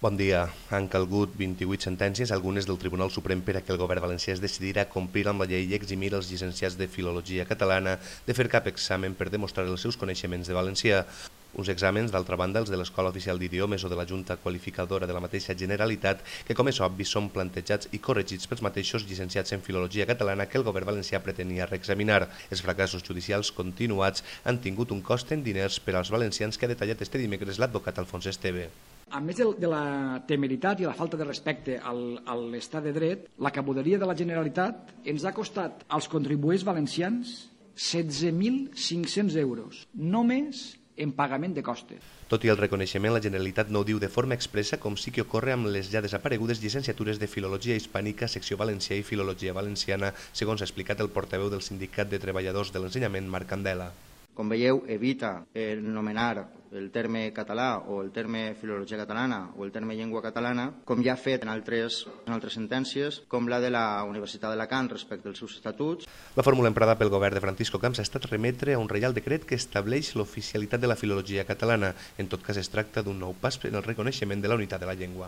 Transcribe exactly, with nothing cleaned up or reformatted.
Bon dia. Han calgut vint-i-vuit sentències, algunes del Tribunal Suprem, per a que el govern valencià es decidirà a complir amb la llei i eximir els llicenciats de Filologia Catalana de fer cap examen per demostrar els seus coneixements de valencià. Uns exàmens, d'altra banda, els de l'Escola Oficial d'Idiomes o de la Junta Qualificadora de la mateixa Generalitat, que, com és obvi, són plantejats i corregits pels mateixos llicenciats en Filologia Catalana que el govern valencià pretenia reexaminar. Els fracassos judicials continuats han tingut un cost en diners per als valencians que ha detallat este dimecres l'advocat Alfons Esteve. A més de la temeritat i la falta de respecte al, a l'estat de dret, la cabuderia de la Generalitat ens ha costat als contribuents valencians setze mil cinc-cents euros, només en pagament de costes. Tot i el reconeixement, la Generalitat no ho diu de forma expressa, com sí que ocorre amb les ja desaparegudes llicenciatures de Filologia Hispànica, Secció Valencià i Filologia Valenciana, segons ha explicat el portaveu del Sindicat de Treballadors de l'Ensenyament, Marc Candela. Com veieu, evita anomenar el terme català o el terme filologia catalana o el terme llengua catalana, com ja ha fet en altres, en altres sentències, com la de la Universitat d'Alacant respecte als seus estatuts. La fórmula emprada pel govern de Francisco Camps ha estat remetre a un reial decret que estableix l'oficialitat de la filologia catalana. En tot cas, es tracta d'un nou pas en el reconeixement de la unitat de la llengua.